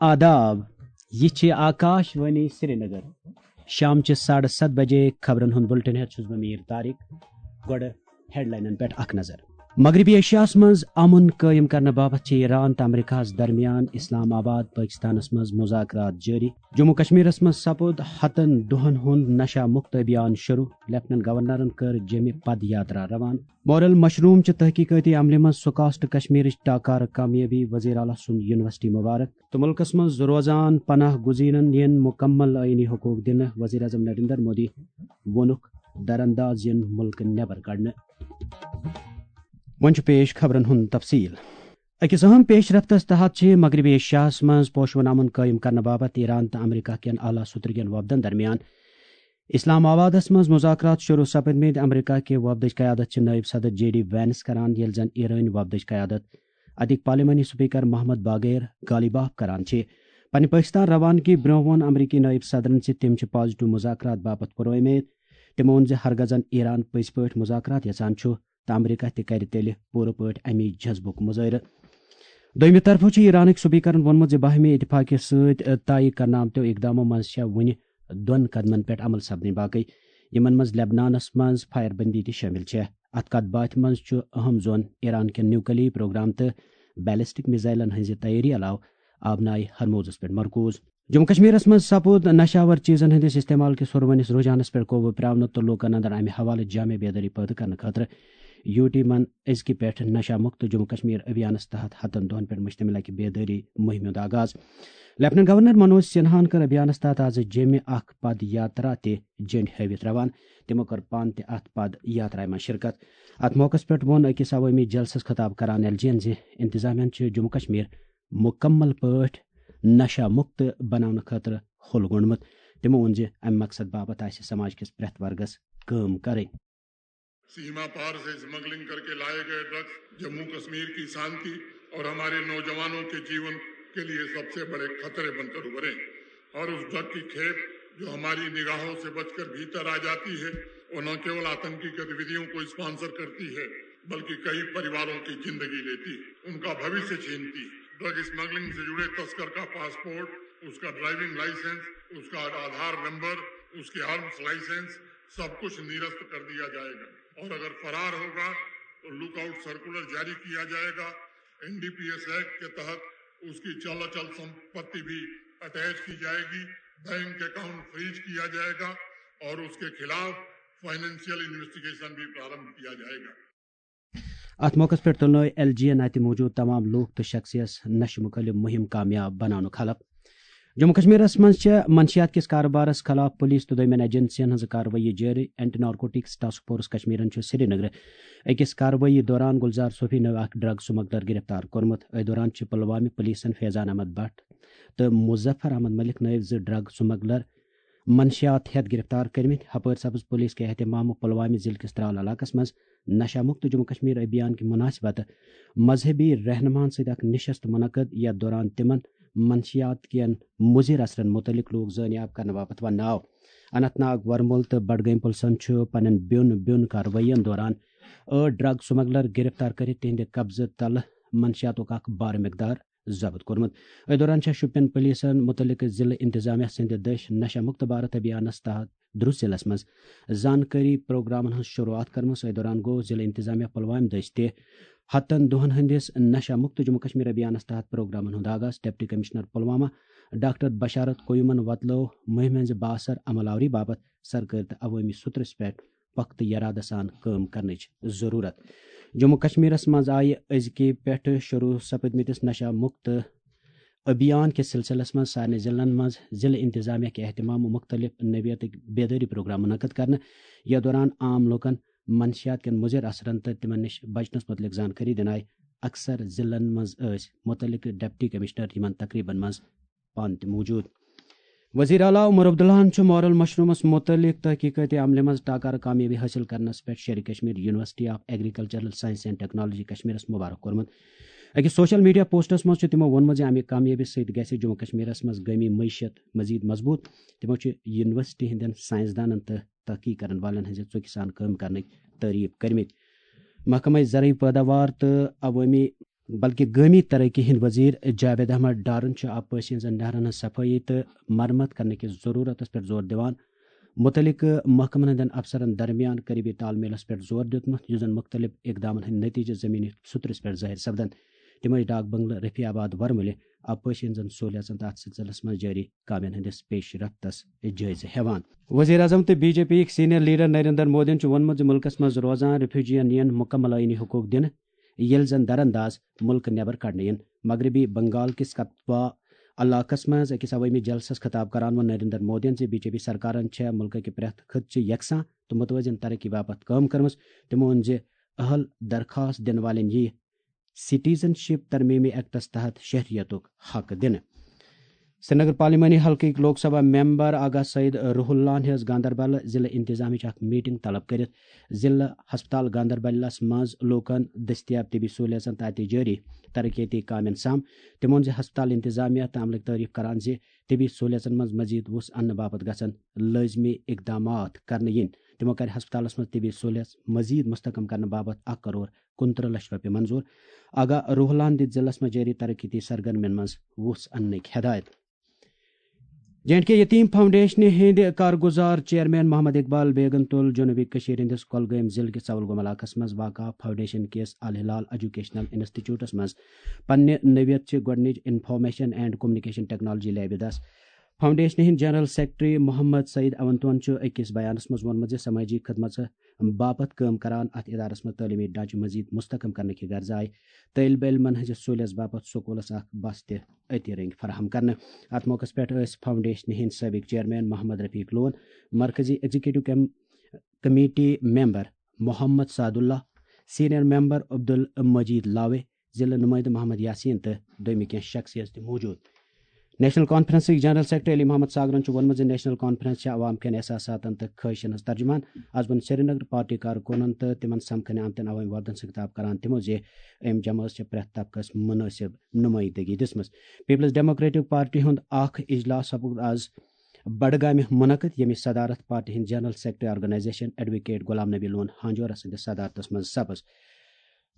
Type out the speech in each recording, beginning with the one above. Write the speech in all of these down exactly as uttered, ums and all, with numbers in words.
آداب، یہِ چھِ آکاش وانی سرینگر۔ شام چہِ ساڑٕ ستھ بجے خبرن ہُنٛد بُلٹن ہٮ۪تھ چھُس بہٕ میٖر طارق۔ گۄڈٕ ہیڈلاینن پٮ۪ٹھ اکھ نظر۔ مغربی ایشیاہس منٛز امن قٲیِم کرنہٕ باپتھ چھِ ایران تہٕ امریکہس درمیان اسلام آباد پٲکستانس منٛز مذاکرات جٲری۔ جموں کشمیرس منٛز سپُد ہتن دۄہن ہُنٛد نشہ مُکت ابھیان شروع۔ لیفٹننٹ گورنرن کٔر جیٚمہِ پد یاترا روانہٕ۔ مورل مشروم چہِ تحقیقاتی عملہِ منٛز سکاسٹ کشمیرٕچ ٹاکارٕ کامیٲبی، وزیر اعلیٰ سُنٛد یونیورسٹی مبارک۔ تہٕ مُلکس منٛز روزان پناہ گزینن یِن مُکمل آئینی حقوق دِنہٕ، وزیر اعظم نریندر مودی ووٚنُکھ، درانداز یِن مُلکہٕ نٮ۪بر کڑنہٕ۔ وۄنۍ چھُ پیش خبرن ہُنٛد تفصیل۔ أکِس اہم پیش رفتس تحت چھِ مغربی ایشیاہس منٛز پوشون امن قٲیِم کرنہٕ باپتھ ایران تہٕ امریکہ کٮ۪ن اعلیٰ سطرٕکٮ۪ن وفدن درمیان اسلام آبادس منٛز مذاکرات شروع سپدمٕتۍ۔ امریکہ کہِ وفدٕچ قیادت چھِ نائب صدر جے ڈی وینس کران، ییٚلہِ زن ایرٲنۍ وفدٕچ قیادت اتِکۍ پارلیمانی سپیکر محمد باگیر غالیباف کران چھِ۔ پننہِ پٲکستان روانگی برونٛہہ ووٚن امریکی نائب صدرن زِ تِم چھِ پازیٹو مذاکرات باپتھ پُرامید۔ تِمو ووٚن زِ ہرگزن ایران پٔزۍ پٲٹھۍ مذاکرات یژھان چھُ، تہٕ امریکہ تہِ کرِ تیٚلہِ پوٗرٕ پٲٹھۍ امی جذبُک مظٲہرٕ۔ دوٚیمہِ طرفہٕ چھُ ایرانٕکۍ سپیکرن ووٚنمُت زِ باہمی اتفاقہٕ سۭتۍ طے کرنہٕ آمتیو اقدامو منٛز چھےٚ وُنہِ دۄن قدمن پٮ۪ٹھ عمل سپدٕنۍ باقٕے، یِمن منٛز لبنانس منٛز فائر بندی تہِ شٲمِل چھےٚ۔ اتھ کتھ باتھِ منٛز چھُ اہم زون ایران کٮ۪ن نیوکلی پروگرام تہٕ بیلسٹک میزائلن ہٕنٛزِ تیٲری علاوٕ آبنائے ہرموزس پٮ۪ٹھ مرکوز۔ جموں کشمیرس منٛز سپُد نشہٕ آور چیزن ہٕنٛدِس استعمال کِس ہُروٕنِس رجحانس پٮ۪ٹھ قوبوٗ پراونہٕ تہٕ لوٗکن اندر امہِ حوالہٕ جامع بیدٲری پٲدٕ کرنہٕ خٲطرٕ یوٗ ٹی من أزکہِ پٮ۪ٹھ نشہ مُکت جموں کشمیر ابھیانس تحت ہتن دۄہن پٮ۪ٹھ مشتمل اکہِ بیدٲری مُہِمہِ ہُنٛد آغاز۔ لیفٹننٹ گورنر منوج سنہاہن کٔر ابھیانس تحت آز جیٚمہِ اکھ پد یاترا تہِ جنڈ ہٲوِتھ روانہٕ۔ تِمو کٔر پانہٕ تہِ اتھ پد یاترایہِ منٛز شرکت۔ اتھ موقعس پٮ۪ٹھ ووٚن أکِس عوٲمی جلسس خطاب کران ایل جی ین زِ انتظامیہ چھِ جموں کشمیر مُکمل پٲٹھۍ نشہ مُکت بناونہٕ خٲطرٕ ہُل گوٚنڈمُت۔ تِمو ووٚن زِ امہِ مقصد باپتھ آسہِ سماج کِس پرٛٮ۪تھ ورگس کٲم کرٕنۍ۔ सीमा पार से स्मगलिंग करके लाए गए ड्रग्स जम्मू कश्मीर की शांति और हमारे नौजवानों के जीवन के लिए सबसे बड़े खतरे बनकर उभरे और उस ड्रग की खेप जो हमारी निगाहों से बचकर भीतर आ जाती है, वो न केवल आतंकी गतिविधियों को स्पॉन्सर करती है, बल्कि कई परिवारों की जिंदगी लेती है, उनका भविष्य छीनती है। ड्रग स्मगलिंग से जुड़े तस्कर का पासपोर्ट, उसका ड्राइविंग लाइसेंस, उसका आधार नंबर, उसके आर्म्स लाइसेंस, सब कुछ निरस्त कर दिया जाएगा और अगर फरार होगा तो लुकआउट सर्कुलर जारी किया जाएगा। एनडीपीएस एक्ट के तहत उसकी चल अचल संपत्ति भी अटैच की जाएगी, बैंक अकाउंट फ्रीज किया जाएगा और उसके खिलाफ फाइनेंशियल इन्वेस्टिगेशन भी प्रारंभ किया जाएगा। اتھ موقعس پٮ۪ٹھ تُلنٲوۍ ایل جی ین اتہِ موجود تمام لوٗکھ تہٕ شخصیس نشہٕ مُخٲلف مُہِم کامیاب بناونُک حلف۔ جموں کشمیرس منٛز چھےٚ منشیات کِس کارٕبارس خلاف پُلیٖس تہٕ دوٚیمٮ۪ن ایجنسین ہٕنٛز کاروٲیی جٲری۔ اینٹی نارکوٹکس ٹاسک فورس کشمیرن چھُ سرینگرٕ أکِس کاروٲیی دوران گلزار صوفی نٲوۍ اکھ ڈرگ سمگلر گرفتار کوٚرمُت۔ أتھۍ دوران چھِ پلوامہِ پُلیٖسن فیضان احمد بٹ تہٕ مظفر احمد ملک نٲوۍ زٕ ڈرگ سمگلر منشیات ہٮ۪تھ گرفتار کٔرمٕتۍ۔ ہپٲرۍ سپٕز پُلیٖس کہِ اہتمامہٕ پلوامہِ ضلعہٕ کِس ترال علاقس منٛز نشہ مُکت جموں کشمیر ابھیان کہِ مناسبت مذہبی رہنماہن سۭتۍ اکھ نشست منعقد، یتھ دوران تِمن منشیات کٮ۪ن مُضِر اثرن مُتعلق لوٗکھ زٲنیاب کرنہٕ باپتھ وننہٕ آو۔ اننت ناگ، ورمُل تہٕ بڈگٲمۍ پُلسن چھُ پننٮ۪ن بیوٚن بیوٚن کاروٲیین دوران ٲٹھ ڈرگ سمگلر گرفتار کٔرِتھ تِہنٛدِ قبضہٕ تلہٕ منشیاتُک اکھ بار مقدار ضبط کوٚرمُت۔ أتھۍ دوران چھےٚ شُپین پُلیٖسن مُتعلقہٕ ضلعہٕ انتظامیہ سٕنٛدِ دٔسۍ نشہ مُکت بھارت ابھیانس تحت درُس ضلعس منٛز زانکٲری پروگرامن ہٕنٛز شروٗعات کٔرمٕژ۔ أتھۍ دوران گوٚو ضلعہٕ انتظامیہ پلوامہِ دٔسۍ تہِ ہتن دۄہن ہٕنٛدِس نشہ مُکت جموں کشمیر ابھیانس تحت پروگرامن ہُنٛد آغاز۔ ڈپٹی کمشنر پلوامہ ڈاکٹر بشارت قیومن وۄتلٲو مُہِمہِ ہٕنٛزِ بااثر عمل آوری باپتھ سرکٲرۍ تہٕ عوٲمی سطرس پٮ۪ٹھ پختہٕ یرادٕ سان کٲم کرنٕچ ضروٗرت۔ جموں کشمیرس منٛز آیہِ أزکہِ پٮ۪ٹھٕ شروٗع سپدمٕتِس نشہ مُکت ابھیان کِس سلسلس منٛز سارنٕے ضلعن منٛز ضلعہٕ انتظامیہ کہِ اہتمام مُختلف نوعیتٕکۍ بیدٲری پروگرام منعقد کرنہٕ۔ یتھ دوران عام لوٗکن منشیات کٮ۪ن مُضِر اثرن تہٕ تِمن نِش بچنس مُتعلق زانکٲری دِنہٕ آیہِ۔ اکثر ضلعن منٛز ٲسۍ مُتعلقہٕ ڈپٹی کمشنر یِمن تقریبن منٛز پانہٕ تہِ موجود۔ وزیر اعلیٰ عمر عبداللہن چھُ مورل مشرومس مُتعلق تحقیقٲتی عملہِ منٛز ٹاکارٕ کامیٲبی حٲصِل کرنس پٮ۪ٹھ Sher e Kashmir university of agricultural science and technology کشمیرس مبارک کوٚرمُت۔ أکِس سوشل میڈیا پوسٹس منٛز چھُ تِمو ووٚنمُت زِ امہِ کامیٲبی سۭتۍ گژھِ جموں کشمیرس منٛز گٲمی معیشت مزید مضبوٗط۔ تِمو چھُ یونیورسٹی ہٕنٛدٮ۪ن سائنسدانن تہٕ تحقیق کرن والٮ۪ن ہٕنٛزِ ژُکہِ سان کٲم کرنٕکۍ تعریف کٔرمٕتۍ۔ محکمہ زرعی پیداوار تہٕ عوٲمی بلکہ گٲمی ترقی ہٕنٛدۍ وزیر جاوید احمد ڈارن چھُ آبپاشی ہٕنٛزن نہرن ہٕنٛز صفٲیی تہٕ مرمت کرنہٕ کِس ضروٗرتس پٮ۪ٹھ زور دِوان۔ مُتعلقہٕ محکمن ہٕنٛدٮ۪ن افسرن درمیان قریبی تال میلس پٮ۪ٹھ زور دیُتمُت، یُس زن مُختٔلِف اقدامن ہٕنٛدۍ نٔتیٖجہٕ زٔمیٖنی سطرس پٮ۪ٹھ ظٲہِر سپدن۔ تِمو چھِ ڈاک بنگلہٕ رفیع آباد ورمُلہِ آبپاشی ہٕنٛزن سہوٗلیژن تہٕ اتھ سلسلس منٛز جٲری کامٮ۪ن ہٕنٛدِس پیش رفتس جٲیزٕ ہٮ۪وان۔ وزیر اعظم تہٕ بی جے پی یِکۍ سینئر لیڈر نریندر مودیَن چھُ ووٚنمُت زِ مُلکَس منٛز روزان ریفیوجیَن یِن مُکمل آئینی حقوق دِنہٕ، ییٚلہِ زن درانداز مُلکہٕ نٮ۪بر کڑنہٕ یِن۔ مغربی بنگال کِس کتوا علاقس منٛز أکِس عوٲمی جلسس خطاب کران ووٚن نریندر مودیَن زِ بی جے پی سرکارن چھےٚ مُلکہٕ کہِ پرٛٮ۪تھ خطہٕ چہِ یکساں تہٕ متوازن ترقی باپتھ کٲم کٔرمٕژ۔ تِمو ووٚن زِ اہل درخواست دِنہٕ والٮ۪ن یِیہِ سٹیزن شپ ترمیمی ایکٹس تحت شہریتُک حق دِنہٕ۔ سرینگر پارلیمانی حلقٕکۍ لوک سبھا ممبر آغا سعید روح اللہ ہن ہیٚژ گاندربل ضلع انتظامیہٕچ اکھ میٹنگ طلب کٔرِتھ ضلع ہسپتال گاندربلس منٛز لوٗکن دٔستیاب طبی سہوٗلیژن تہٕ اَتہِ جٲری ترقیتی کامٮ۪ن سم۔ تِمو ووٚن زِ ہسپتال انتظامیہ تہٕ عملٕکۍ تعریف کران زِ طبی سہوٗلیژن منٛز مزید وُژھ اننہٕ باپتھ گژھن لٲزمی اقدامات کرنہٕ یِنۍ۔ تِمو کرِ ہسپتالس منٛز طبی سہوٗلیژ مزید مستحکم کرنہٕ باپتھ اکھ کرور کُنترٕہ لچھ رۄپیہِ منظور۔ آغا روح اللہ ہن دِتۍ ضلعس منٛز جٲری ترقیتی سرگرمین منٛز وُژھ اننٕکۍ ہدایت۔ جے اینڈ کے یتیم فاؤنڈیشنہِ ہٕنٛدۍ کارگزار چیئرمین محمد اقبال بیگن تُل جنوبی کٔشیٖر ہٕنٛدِس کۄلگٲمۍ ضلعہٕ کِس ژولگوم علاقس منٛز واقع فاؤنڈیشن کِس الہلال ایجوکیشنل انسٹیٹیوٹس منٛز پننہِ نوعیت چہِ گۄڈٕنِچ انفارمیشن اینڈ کمیونیکیشن ٹیکنالوجی لیبہِ دس۔ فاؤنڈیشنہِ ہٕنٛدۍ جنرل سیکرٹری محمد سعید اونتون چھُ أکِس بیانس منٛز ووٚنمُت زِ سمٲجی خدمژٕ باپتھ کٲم کران۔ اتھ ادارس منٛز تعلیمی ڈھانچہٕ مزید مستحکم کرنہٕ کہِ غرضہٕ آیہِ طٲلبہِ علمن ہٕنٛزِ سہوٗلیژ باپتھ سکوٗلس اکھ بس تہِ أتی رٔنگۍ فراہم کرنہٕ۔ اتھ موقعس پٮ۪ٹھ ٲسۍ فاؤنڈیشنہِ ہٕنٛدۍ سٲبق چیئرمین محمد رفیق لون، مرکزی ایگزیکٹو کم-، کمیٹی ممبر محمد سعد اللہ، سینئر ممبر عبدالمجید لاوے، ضلع نمائندٕ محمد یاسین تہٕ دوٚیمہِ کینٛہہ شخصیت تہِ موجود۔ نیشنل کانفرنسٕکۍ جنرل سیکرٹری علی محمد ساگرن چھُ ووٚنمُت زِ نیشنل کانفرنس چھِ عوام کٮ۪ن احساساتن تہٕ خٲہشن ہٕنٛز ترجمان۔ از ووٚن سرینگر پارٹی کارکُنن تہٕ تِمن سمکھنہٕ آمتٮ۪ن عوٲمی وفدن سۭتۍ خطاب کران تِمو زِ أمۍ جمٲژ چھِ پرٛٮ۪تھ طبقس مُنٲسِب نُمٲیندگی دِژمٕژ۔ پیپلز ڈیموکریٹک پارٹی ہُنٛد اکھ اجلاس سپُد از بڈگامہِ منعقد، ییٚمِچ صدارت پارٹی ہٕنٛدۍ general secretary organisation advocate Ghulam Nabi Lone Hanjura سٕنٛدِس صدارتس منٛز سپٕز۔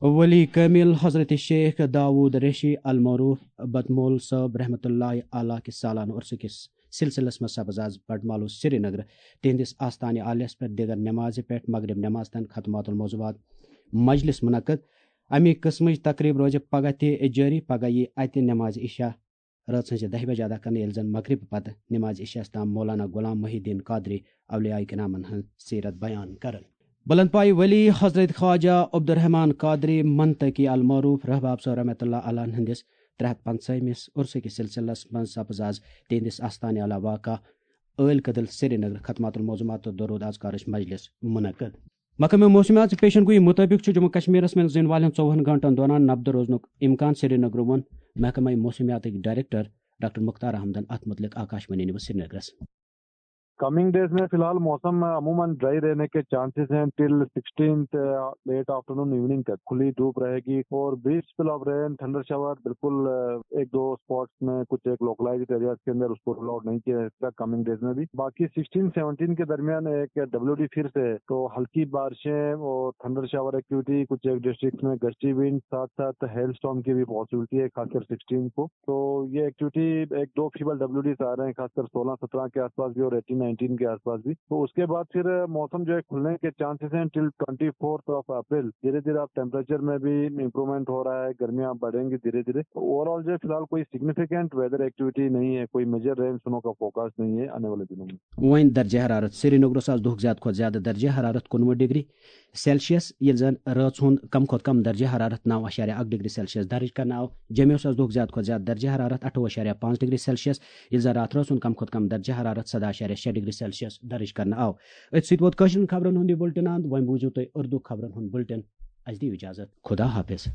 ولی کامل حضرت شیخ داؤد ریشی المعروف بٹمول صٲب رحمتہ اللہ علیہ کِس سالانہٕ عرسہٕ کِس سلسلس منٛز سپٕز از بٹمالو سرینگر تِہنٛدِس آستانہِ عالیس پٮ۪ٹھ دیگر نمازِ پٮ۪ٹھ مغرب نماز تام ختمات الموضوعات مجلس منعقد۔ اَمی قٕسمٕچ تقریب روزِ پگاہ تہِ جٲری۔ پگاہ یی اَتہِ نماز عشاء رٲژ ہٕنٛزِ دَہہِ بجہِ ادا کرنہٕ، ییٚلہِ زن مغربہٕ پتہٕ نماز عشاء تام مولانا غلام محی الدین قادری اولیاء کرامن ہٕنٛز سیرت بیان کرن۔ بلند پایہِ ولی حضرت خواجہ عبدالرحمان قادری منطقی المعروف رحباب صٲب رحمتہ اللہ علیہ ہٕنٛدِس ترٛےٚ ہتھ پنٛژاہمِس عرسہٕ کِس سلسلس منٛز سپٕز از تِہنٛدِس آستانہِ علا واقع ٲلۍ کدل سرینگر ختمات الموضوعات تہٕ درود اذکارٕچ مجلس منعقد۔ محکمہ موسمیات چہِ پیشن گویی مُطٲبِق چھُ جموں کشمیرس منٛز یِنہٕ والٮ۪ن ژوٚوُہن گھنٹن دوران نبدٕ روزنُک امکان۔ سرینگرٕ ووٚن محکمہ موسمیاتٕکۍ ڈائریکٹر ڈاکٹر مختار احمدن اتھ متعلق آکاش وانی نیوز سرینگرس۔ کمنگ ڈیز میں فی الحال موسم عموماً ڈرائی رہنے کے چانسز ہیں till sixteenth, late afternoon evening تک کھلی دھوپ رہے گی اور brief spell of rain, thunder shower بالکل، آ، ایک دو اسپاٹس میں کچھ ایک لوکلائزڈ ایریاز کے اندر اس کو رول آؤٹ نہیں کیا جا سکتا کمنگ ڈیز میں بھی۔ باقی سکسٹین سیونٹین کے درمیان ایک ڈبلیو ڈی پھر سے تو ہلکی بارشیں اور تھنڈر شاور ایکٹیویٹی، کچھ ایک ڈسٹرکٹ میں گسٹی ونڈ، ساتھ ساتھ ہیل اسٹارم کی بھی پاسبلٹی ہے خاص کر سکسٹین کو۔ تو یہ ایکٹیویٹی ایک دو فیبل ڈبلیو ڈیز آ رہے ہیں خاص کر سولہ سترہ کے آس پاس بھی اور ایٹین نائنٹین کے آس پاس بھی۔ تو اس کے بعد پھر موسم جو ہے کھلنے کے چانسز ہیں till twenty fourth of April. دھیرے دھیرے آپ ٹیمپریچر میں بھی امپروومنٹ ہو رہا ہے، گرمیاں بڑھیں گی دھیرے دھیرے۔ تو اوور آل جو ہے فی الحال کوئی سگنیفیکینٹ ویدر ایکٹیویٹی نہیں ہے، کوئی میجر رین سنو کا فوکاسٹ نہیں ہے آنے والے دنوں میں۔ وۄنۍ درجہ حرارت۔ سرینگرس آز دۄہُک زیادٕ کھۄتہٕ زیادٕ درجہ حرارت کُنوُہ ڈگری سیلسیس، ییٚلہِ زن رٲژ ہُنٛد کم کھۄتہٕ کم درجہ حرارت نو اعشاریہ اکھ ڈگری سیلسیس درج کرنہٕ آو۔ جوٚمہِ اوس آز دۄہُک زیادٕ کھۄتہٕ زیادٕ درجہ حرارت اَٹھووُہ اعشاریہ پانٛژھ ڈگری سیلسیس، ییٚلہِ زن راتھ رٲژ ہُنٛد کم کھۄتہٕ کم درجہ حرارت سداہ اعشاریہ شےٚ ڈگری سیلسیس درج کرنہٕ آو۔ أتھۍ سۭتۍ ووت کٲشرٮ۪ن خبرن ہُنٛد یہِ بُلٹن اند۔ وۄنۍ بوٗزِو تُہۍ اردو خبرن ہُنٛد بُلٹن۔ اَسہِ دِیِو اجازت۔ خدا حافظ۔